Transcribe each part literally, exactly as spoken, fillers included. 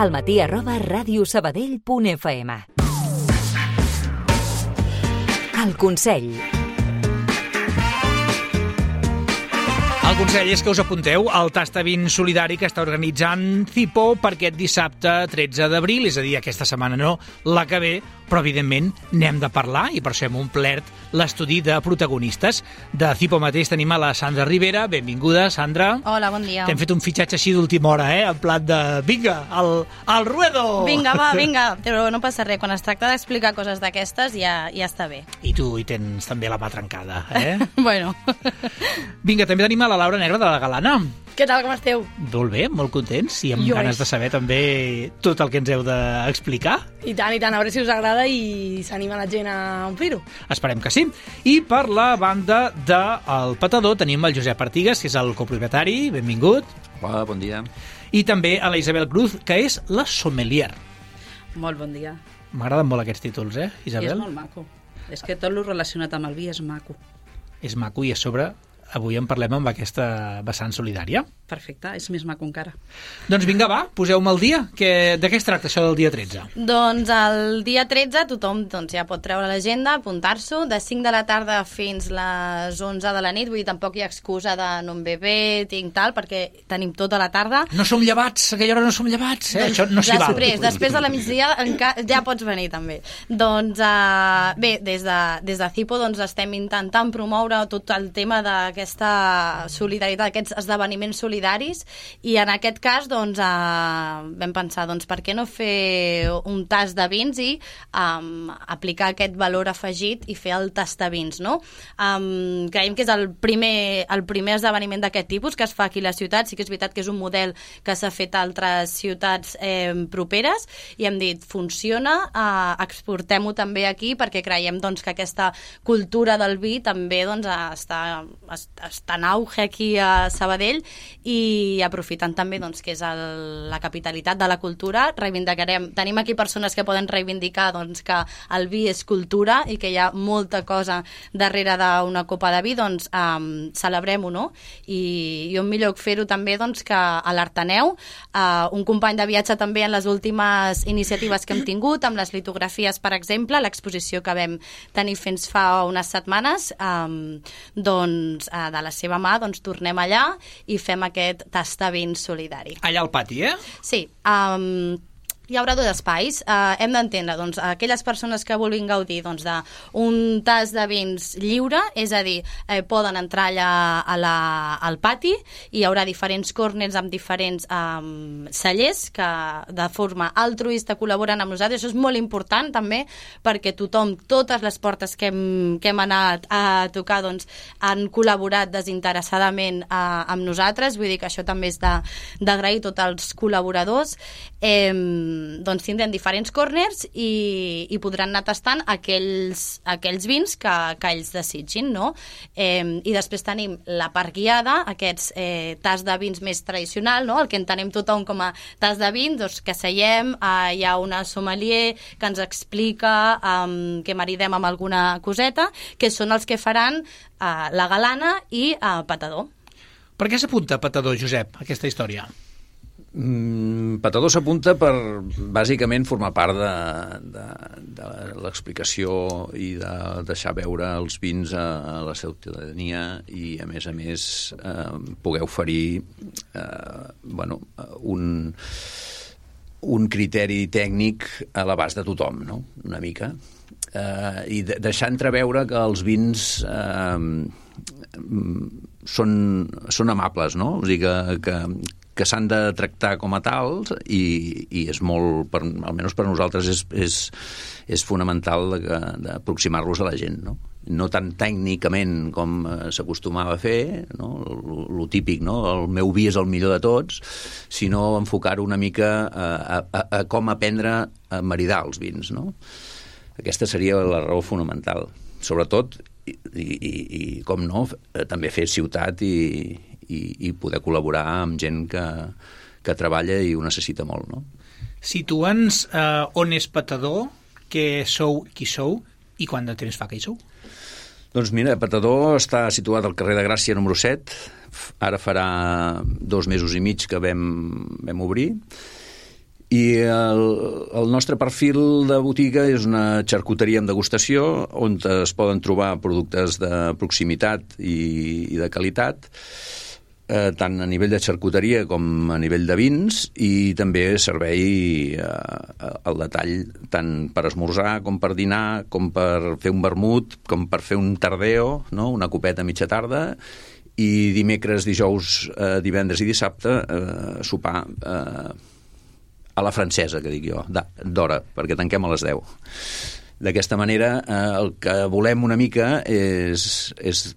al matí arroba radiosabadell punt f m. El Consell. El consell és que us apunteu al Tastavint solidari que està organitzant Cipo per aquest dissabte tretze d'abril, és a dir, aquesta setmana no, la que ve, però evidentment n'hem de parlar i per això hem omplert l'estudi de protagonistes. De Cipo mateix tenim a la Sandra Rivera. Benvinguda, Sandra. Hola, bon dia. T'hem fet un fitxatge així d'última hora, eh? En plat de, vinga, al, al ruedo! Vinga, va, vinga. Però no passa res, quan es tracta d'explicar coses d'aquestes ja, ja està bé. I tu hi tens també la mà trencada, eh? Bueno. Vinga, també tenim a la Laura Negra de la Galana. Què tal, com esteu? Molt bé, molt contents i amb Jo ganes és. de saber també tot el que ens heu d'explicar. I tant, i tant, a veure si us agrada i s'anima la gent a omplir-ho. Esperem que sí. I per la banda del Petador tenim el Josep Artigas, que és el copropietari. Benvingut. Hola, bon dia. I també a la Isabel Cruz, que és la sommelier. Molt bon dia. M'agraden molt aquests títols, eh, Isabel? I és molt maco. És que tot el relacionat amb el vi és maco. És maco i a sobre avui en parlem amb aquesta vessant solidària. Perfecte, és més maco encara. Doncs vinga, va, poseu-me el dia. Que, de què es tracta això del dia tretze? Doncs el dia tretze tothom doncs, ja pot treure l'agenda, apuntar-s'ho, de cinc de la tarda fins les onze de la nit, vull dir, tampoc hi ha excusa de no em ve bé, tinc tal, perquè tenim tota la tarda. No som llevats, a aquella hora no som llevats, eh? Això no s'hi val. Després, després de la migdia enca- ja pots venir també. Doncs uh, bé, des de, des de Cipo doncs, estem intentant promoure tot el tema d'aquesta solidaritat, aquests esdeveniments solidaris, i en aquest cas doncs, uh, vam pensar, doncs, per què no fer un tast de vins i um, aplicar aquest valor afegit i fer el tast de vins, no? Um, creiem que és el primer, el primer esdeveniment d'aquest tipus que es fa aquí a la ciutat. Sí que és veritat que és un model que s'ha fet a altres ciutats eh, properes i hem dit, funciona, uh, exportem-ho també aquí perquè creiem doncs, que aquesta cultura del vi també doncs, està, està en auge aquí a Sabadell i aprofitant també doncs, que és el, la capitalitat de la cultura, reivindicarem, tenim aquí persones que poden reivindicar doncs, que el vi és cultura i que hi ha molta cosa darrere d'una copa de vi, doncs um, celebrem-ho, no? I, i on millor fer-ho també doncs, que a l'Arteneu, uh, un company de viatge també en les últimes iniciatives que hem tingut, amb les litografies, per exemple, l'exposició que vam tenir fins fa unes setmanes, um, doncs uh, de la seva mà doncs, tornem allà i fem aquest tastavint solidari. Allà al pati, eh? Sí. Um, hi haurà dos espais. Uh, hem d'entendre, doncs, aquelles persones que vulguin gaudir doncs, d'un tas de vins lliure, és a dir, eh, poden entrar allà a la, al pati, i hi haurà diferents corners amb diferents um, cellers que de forma altruista col·laboren amb nosaltres. Això és molt important també perquè tothom, totes les portes que hem, que hem anat a tocar doncs, han col·laborat desinteressadament uh, amb nosaltres. Vull dir que això també és d'agrair a tots els col·laboradors. Eh, doncs tindrem diferents corners i, i podran anar tastant aquells, aquells vins que, que ells desitgin, no? Eh, I després tenim la part guiada, aquests eh, tas de vins més tradicional, no? El que entenem tothom com a tas de vins, doncs que seiem, eh, hi ha una sommelier que ens explica eh, que maridem amb alguna coseta, que són els que faran eh, la Galana i eh, Petador. Per què s'apunta Petador, Josep, aquesta història? Mm, Petador s'apunta per, bàsicament, formar part de, de, de l'explicació i de deixar veure els vins a, a la ciutadania i, a més a més, eh, poder oferir eh, bueno, un, un criteri tècnic a l'abast de tothom, no? Una mica. Eh, I de, deixar entreveure que els vins eh, són, són amables, no? O sigui que... que que s'han de tractar com a tals i, i és molt, per, almenys per nosaltres és, és, és fonamental d'aproximar-los a la gent, no? No tan tècnicament com s'acostumava a fer, no? Lo típic, no? El meu vi és el millor de tots, sinó enfocar-ho una mica a, a, a com aprendre a maridar els vins, no? Aquesta seria la raó fonamental. Sobretot, i, i, i com no, també fer ciutat i I, i poder col·laborar amb gent que, que treballa i ho necessita molt, no? Situa'ns eh, on és Petador, què sou, qui sou i quant de temps fa que hi sou? Doncs mira, Petador està situat al carrer de Gràcia número set, ara farà dos mesos i mig que vam, vam obrir, I el, el nostre perfil de botiga és una xarcuteria amb degustació on es poden trobar productes de proximitat i, i de qualitat, eh, tant a nivell de xarcuteria com a nivell de vins, i també servei eh, al detall tant per esmorzar com per dinar, com per fer un vermut, com per fer un tardeo, no? Una copeta a mitja tarda, i dimecres, dijous, eh, divendres i dissabte eh, sopar eh, a la francesa, que dic jo, d'hora, perquè tanquem a les deu. D'aquesta manera, eh, el que volem una mica és, és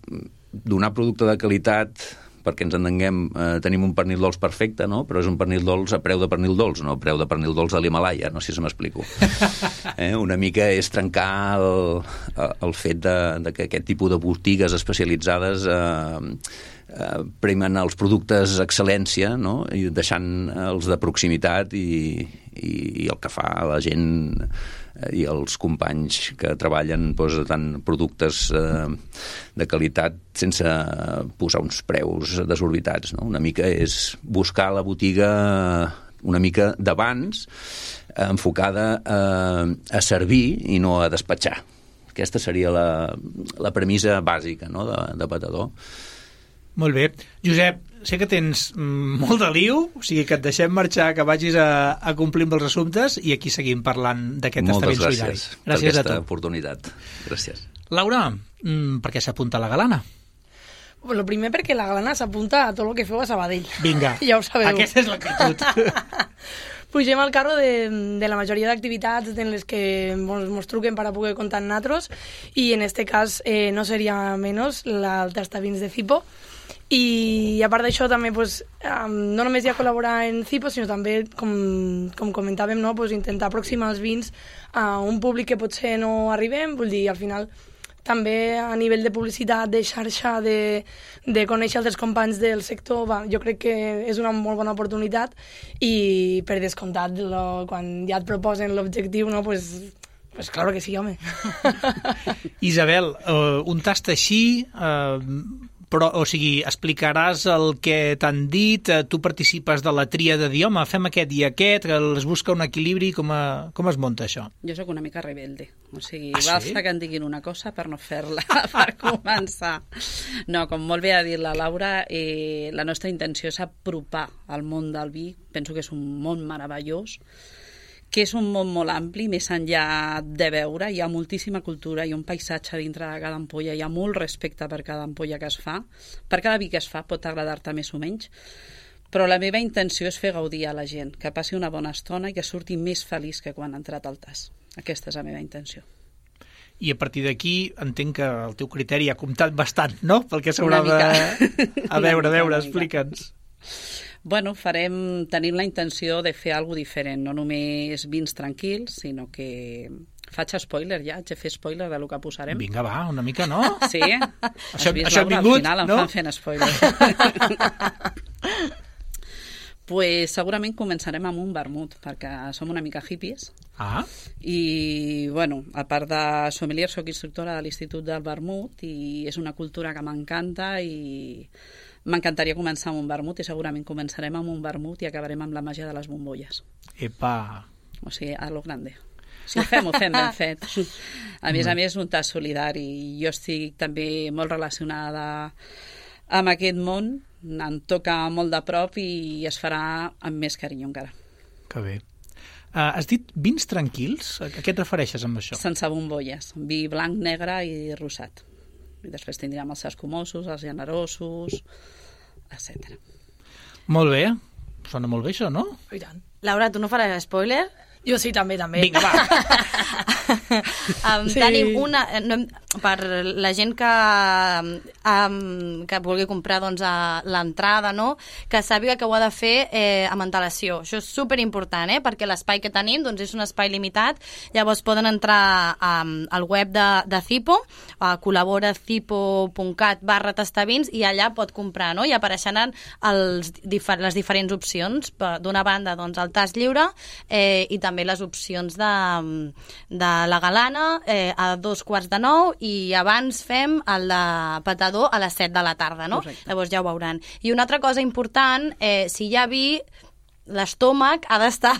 donar producte de qualitat, perquè ens entenguem, eh, tenim un pernil dolç perfecte, no? Però és un pernil dolç a preu de pernil dolç, no a preu de pernil dolç de l'Himalaya, no sé si m'explico. Eh, una mica és trencar el, el fet de, de que aquest tipus de botigues especialitzades eh, eh, premen els productes excel·lència, no? I deixant els de proximitat i, i, i el que fa la gent i els companys que treballen doncs, tant productes eh, de qualitat sense posar uns preus desorbitats, no? Una mica és buscar la botiga una mica d'abans, eh, enfocada eh, a servir i no a despatxar. Aquesta seria la, la premissa bàsica, no? de, de Patador. Molt bé. Josep, sé que tens molt de liu, o sigui que et deixem marxar, que vagis a, a complir amb els assumptes, i aquí seguim parlant d'aquest testament solidari. Moltes gràcies, gràcies per aquesta oportunitat. Gràcies. Laura, per què s'apunta a la Galana? Bueno, primer perquè la Galana s'apunta a tot el que feu a Sabadell. Vinga, ja ho sabeu. Aquesta és l'actitud. Pugem al carro de, de la majoria d'activitats en les que mos, mos truquen per a poder comptar amb nosaltres, i en este cas eh, no seria menys la, el tastavins de Cipo. I a part d'això també pues, um, no només hi ha col·laborar en Cipo, sinó també, com, com comentàvem, no? Pues, intentar aproximar els vins a un públic que potser no arribem, vull dir, al final també a nivell de publicitat, de xarxa, de, de conèixer altres companys del sector, va, jo crec que és una molt bona oportunitat, i per descomptat, lo, quan ja et proposen l'objectiu, no, pues, pues claro que sí, home. Isabel, uh, un tast així... Uh, però, o sigui, explicaràs el que t'han dit, tu participes de la tria de dir, home, fem aquest i aquest, que es busca un equilibri, com, a, com es munta això? Jo sóc una mica rebelde, o sigui, ah, basta sí? que em diguin una cosa per no fer-la, per començar. No, com molt bé ha dit la Laura, eh, la nostra intenció és apropar al món del vi, penso que és un món meravellós, que és un món molt ampli, més enllà de veure, hi ha moltíssima cultura, hi ha un paisatge dintre de cada ampolla, hi ha molt respecte per cada ampolla que es fa, per cada vi que es fa pot agradar-te més o menys, però la meva intenció és fer gaudir a la gent, que passi una bona estona i que surti més feliç que quan ha entrat al tas. Aquesta és la meva intenció. I a partir d'aquí entenc que el teu criteri ha comptat bastant, no? Pel que s'haurà de... A veure, a veure, explica'ns. Bueno, farem, tenim la intenció de fer alguna diferent, no només vins tranquils, sinó que... Faig spoiler ja, haig de fer spoiler de lo que posarem. Vinga, va, una mica, no? Sí? Això, vist, això Laura, vingut, al final em no? fan fent spoiler. Pues segurament començarem amb un vermut, perquè som una mica hippies. Ah. I, bueno, a part de sommelier, soc instructora de l'Institut del Vermut i és una cultura que m'encanta i m'encantaria començar amb un vermut i segurament començarem amb un vermut i acabarem amb la màgia de les bombolles. Epa! O sigui, a lo grande. Si ho fem, ho fem ben fet. A més a més, un tas solidari. Jo estic també molt relacionada amb aquest món, em toca molt de prop i es farà amb més carinyo encara. Que bé. Uh, has dit vins tranquils? A què et refereixes amb això? Sense bombolles. Vi blanc, negre i rosat. I després tindríem els escumosos, els generosos, etcètera. Molt bé. Sona molt bé això, no? I tant. Laura, tu no faràs spoiler? Jo sí, també, també. Vinga, va. um, Sí. Tenim una... No, per la gent que, um, que vulgui comprar doncs, a l'entrada, no? Que sàpiga que ho ha de fer eh, amb antelació. Això és superimportant, eh? Perquè l'espai que tenim doncs, és un espai limitat. Llavors poden entrar um, al web de, de Cipo, a col·labora cipo punt cat barra tastavins, i allà pot comprar, no? I apareixeran els, difer les diferents opcions. D'una banda, doncs, el tas lliure eh, i també les opcions de, de la galana eh, a dos quarts de nou, i abans fem el de Patador a les set de la tarda, no? Correcte. Llavors ja ho veuran. I una altra cosa important, eh, si hi ha vi, l'estómac ha d'estar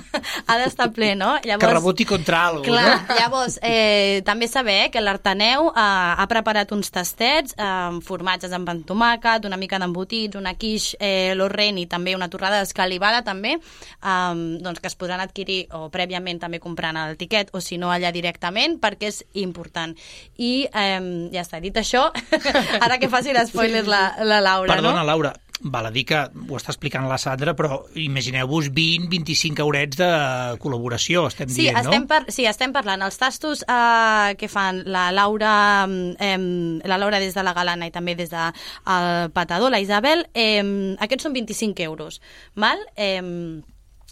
ha d'estar ple, no? Llavors, que reboti contra alguna cosa, clar, no? Llavors, eh, també saber que l'Artaneu eh, ha preparat uns tastets eh, amb formatges amb pan tomàquet, una mica d'embotits, una quiche eh, lorraine i també una torrada d'escalivada també, eh, doncs que es podran adquirir o prèviament també comprant el tiquet o si no allà directament, perquè és important. I eh, ja està, dit això, ara que faci l'espoiler la, la Laura, Perdona, no? Laura, val a dir que ho està explicant la Sandra, però imagineu-vos vint a vint-i-cinc eurets de col·laboració, estem sí, dient, estem no? par sí, estem parlant. Els tastos eh, que fan la Laura, eh, la Laura des de la Galana i també des del de Patador, la Isabel, eh, aquests són vint-i-cinc euros. Val? Eh,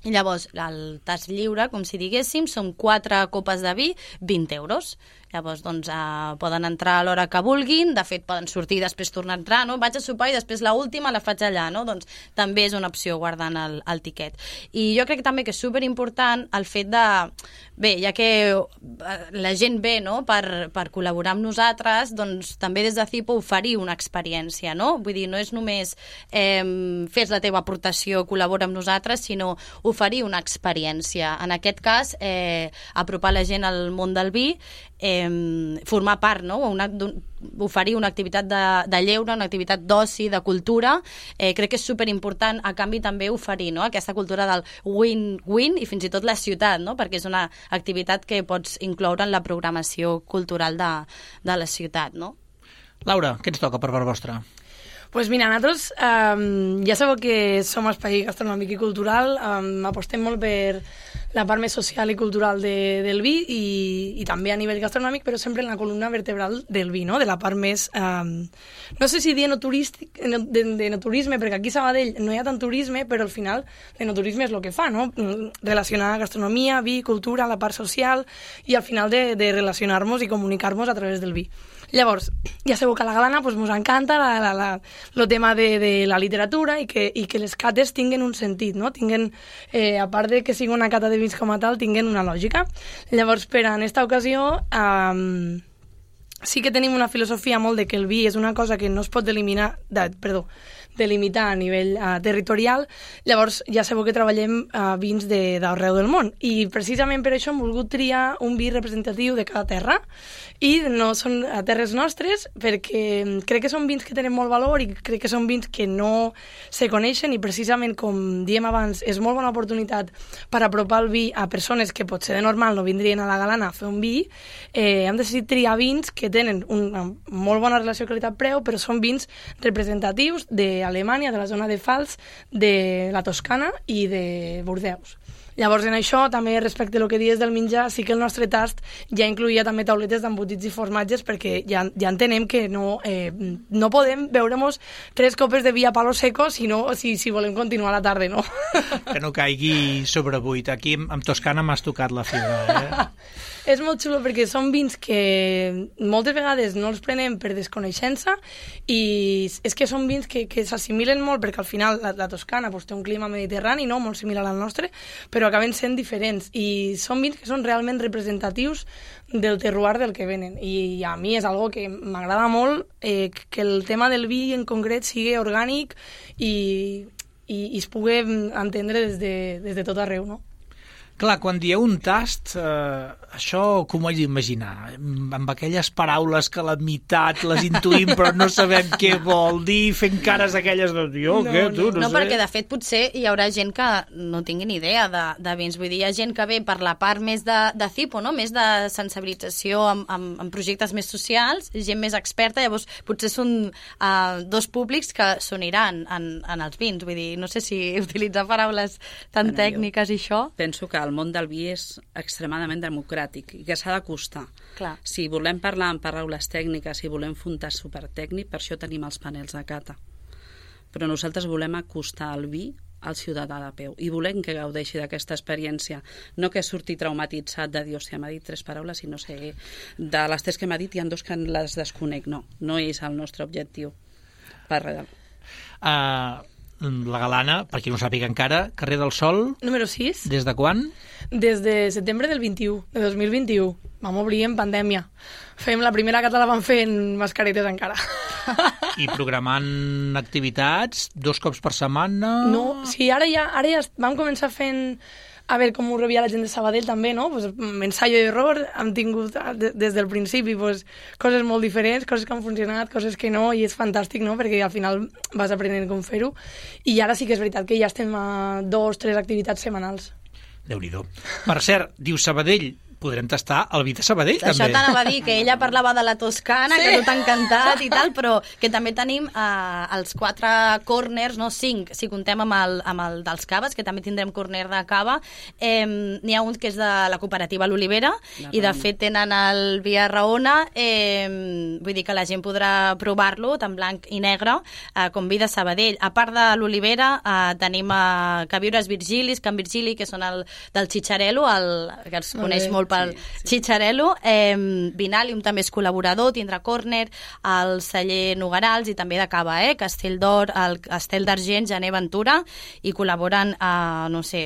I llavors, el tast lliure, com si diguéssim, són quatre copes de vi, vint euros. Llavors, doncs, eh, poden entrar a l'hora que vulguin, de fet, poden sortir i després tornar a entrar, no? Vaig a sopar i després l'última la faig allà, no? Doncs també és una opció guardant el, el tiquet. I jo crec també que és superimportant el fet de... Bé, ja que la gent ve, no?, per, per col·laborar amb nosaltres, doncs també des de Cipo oferir una experiència, no? Vull dir, no és només eh, fes la teva aportació, col·labora amb nosaltres, sinó oferir una experiència. En aquest cas, eh, apropar la gent al món del vi, eh, formar part, no? Una, oferir una activitat de, de lleure, una activitat d'oci, de cultura, eh, crec que és superimportant, a canvi també oferir, no?, aquesta cultura del win-win i fins i tot la ciutat, no?, perquè és una activitat que pots incloure en la programació cultural de, de la ciutat, no? Laura, què ens toca per part vostra? Pues mira, nosaltres um, ja sabeu que som espai gastronòmic i cultural, um, apostem molt per la part més social i cultural de, del vi i, i també a nivell gastronòmic, però sempre en la columna vertebral del vi, no?, de la part més, um, no sé si dir enoturístic, de, de enoturisme, perquè aquí a Sabadell no hi ha tant turisme, però al final l'enoturisme és el que fa, no?, relacionar gastronomia, vi, cultura, la part social i al final de, de relacionar-nos i comunicar-nos a través del vi. Llavors, ja sabeu que a la Galana pues, ens encanta la, la, la, el tema de, de la literatura i que, i que les cates tinguen un sentit, no? Tinguen, eh, a part de que sigui una cata de vins com a tal, tinguen una lògica. Llavors, per en esta ocasió, eh, sí que tenim una filosofia molt de que el vi és una cosa que no es pot eliminar, de, perdó, delimitar a nivell uh, territorial. Llavors ja sabeu que treballem uh, vins d'arreu del món i precisament per això hem volgut triar un vi representatiu de cada terra i no són a terres nostres perquè crec que són vins que tenen molt valor i crec que són vins que no se coneixen i precisament com diem abans és molt bona oportunitat per apropar el vi a persones que potser de normal no vindrien a la Galana a fer un vi. Eh, hem decidit triar vins que tenen una molt bona relació qualitat-preu però són vins representatius de Alemanya, de la zona de Pfalz, de la Toscana i de Bordeus. Llavors, en això, també respecte al que dius del menjar, sí que el nostre tast ja incluïa també tauletes d'embotits i formatges perquè ja, ja entenem que no, eh, no podem beure-nos tres copes de vi a palo seco si, no, si, si volem continuar la tarda, no? Que no caigui sobrebuit. Aquí amb Toscana m'has tocat la fibra, eh? És molt xulo perquè són vins que moltes vegades no els prenem per desconeixença i és que són vins que, que s'assimilen molt perquè al final la, la Toscana pues, té un clima mediterrani, no? Molt similar al nostre, però acaben sent diferents i són vins que són realment representatius del terroir del que venen i a mi és algo que m'agrada molt eh, que el tema del vi en concret sigui orgànic i, i, i es pugui entendre des de, des de tot arreu, no? Clar, quan dieu un tast, eh, això com ho haig d'imaginar? Amb aquelles paraules que a la meitat les intuïm però no sabem què vol dir, fent cares aquelles de jo, no, què, tu, No, no, no sé. perquè de fet potser hi haurà gent que no tingui ni idea de, de vins, vull dir, hi ha gent que ve per la part més de, de Cipo, no? Més de sensibilització amb, amb, amb projectes més socials, gent més experta, llavors potser són uh, dos públics que s'uniran en, en els vins, vull dir, no sé si utilitzar paraules tan Bueno, tècniques i això... Penso que el món del vi és extremadament democràtic i que s'ha d'acostar. Clar. Si volem parlar en paraules tècniques, si volem fer un tast supertècnic, per això tenim els panels de cata. Però nosaltres volem acostar el vi al ciutadà de peu i volem que gaudeixi d'aquesta experiència, no que surti traumatitzat de dir, hòstia, m'ha dit tres paraules i no sé, de les tres que m'ha dit hi ha dos que les desconec. No, no és el nostre objectiu. Per res. Uh, la Galana, per qui no ho sàpiga encara, carrer del Sol, Número sis. des de quan? Des de setembre del vint-i-u, de dos mil vint-i-u. Vam obrir en pandèmia. Fem la primera cata la vam fer en mascaretes encara. I programant activitats dos cops per setmana... No, sí, ara ja, ara ja vam començar fent... A veure com ho rebia la gent de Sabadell també, no? Pues, ensaio i error, hem tingut des del principi pues, coses molt diferents, coses que han funcionat, coses que no, i és fantàstic, no? Perquè al final vas aprenent com fer-ho. I ara sí que és veritat que ja estem a dos, tres activitats setmanals. Déu-n'hi-do. Per cert, diu Sabadell, podrem tastar el vi de Sabadell, Això també. Això t'anava a dir, que ella parlava de la Toscana, sí. que no t'ha encantat i tal, però que també tenim eh, els quatre corners, no, cinc, si contem amb el, amb el dels caves, que també tindrem corner de cava. Eh, N'hi ha un que és de la cooperativa L'Olivera, i de fet tenen el vi a Raona, eh, vull dir que la gent podrà provar-lo, tant blanc i negre, eh, com vi de Sabadell. A part de l'Olivera, eh, tenim eh, Caviures Virgilis, Can Virgili, que són el del Chicharello, el, que els coneix molt pel sí, sí. Chicharello. Eh, Vinalium també és col·laborador, tindrà corner, el celler Nogarals i també de cava, eh? Castell d'Or, el Castell d'Argent, Gener Ventura, i col·laboren a, no sé,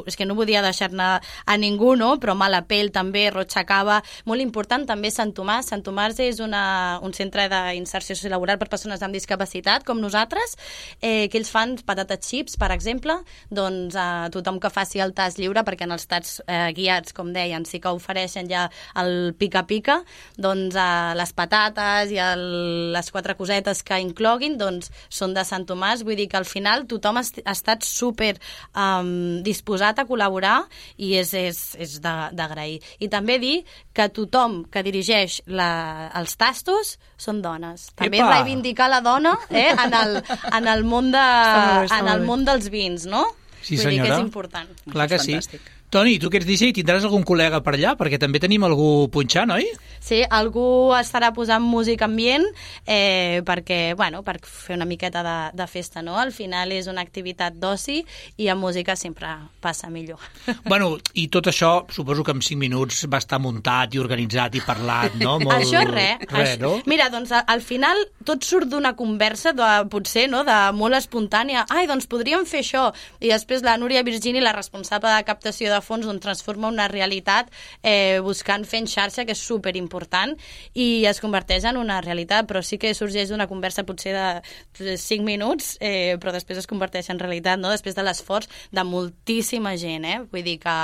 és que no podia deixar-ne a ningú, no? Però Malapell també, Rocha Cava, molt important també Sant Tomàs. Sant Tomàs és una, un centre d'inserció sociolaboral per persones amb discapacitat, com nosaltres, eh, que ells fan patates xips, per exemple, doncs a tothom que faci el tas lliure, perquè en els tats eh, guiats, com deien, sí que ofereixen ja el pica-pica, doncs eh, les patates i el, les quatre cosetes que incloguin doncs són de Sant Tomàs, vull dir que al final tothom ha estat super um, disposat a col·laborar i és, és, és d'agrair. I també dir que tothom que dirigeix la, els tastos són dones. També Epa! reivindicar la dona eh, en, el, en, el món de, bé, en el món dels vins, no? Sí, vull senyora. dir que és important. Clar que sí. Fantàstic. Toni, tu que ets D J, tindràs algun col·lega per allà? Perquè també tenim algú punxant, oi? Sí, algú estarà posant música ambient eh, perquè, bueno, per fer una miqueta de, de festa, no? Al final és una activitat d'oci i amb música sempre passa millor. Bueno, i tot això, suposo que en cinc minuts va estar muntat i organitzat i parlat, no? Molt... Això és res. Res, no? Mira, doncs al final tot surt d'una conversa, de, potser, no?, de molt espontània. Ai, doncs podríem fer això. I després la Núria Virgini, la responsable de captació de fons, on transforma una realitat eh, buscant fent xarxa, que és superimportant, i es converteix en una realitat, però sí que sorgeix d'una conversa potser de cinc minuts, eh, però després es converteix en realitat, no?, després de l'esforç de moltíssima gent, eh? Vull dir que,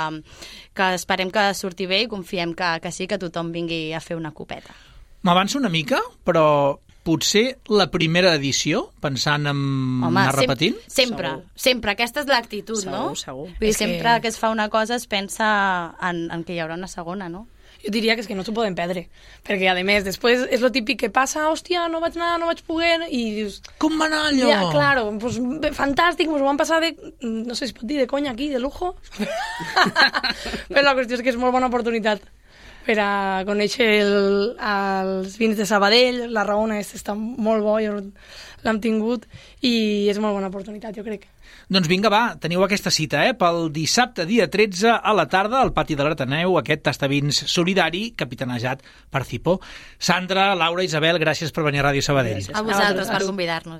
que esperem que surti bé i confiem que, que sí, que tothom vingui a fer una copeta. M'avanço una mica, però potser la primera edició, pensant en Home, anar repetint? Sem sempre, Segur. sempre. Aquesta és l'actitud, no? Segur, segur. Vull dir, És que- sempre que es fa una cosa es pensa en, en que hi haurà una segona, no? Jo diria que és que no s'ho poden perdre, perquè a més després és lo típic que passa, hòstia, no vaig anar, no vaig poder, i dius... Com va anar allò? Ja, claro, pues, bé, fantàstic, ens ho vam passar de... No sé si es pot dir de conya aquí, de lujo. Però la qüestió és que és molt bona oportunitat per a conèixer el, els vins de Sabadell, la Raona està molt bo, jo l'hem tingut, i és molt bona oportunitat, jo crec. Doncs vinga, va, teniu aquesta cita, eh? Pel dissabte, dia tretze, a la tarda, al pati de l'Ateneu, aquest tastavins solidari, capitanejat per Cipo. Sandra, Laura, Isabel, gràcies per venir a Ràdio Sabadell. Gràcies. A vosaltres per convidar-nos.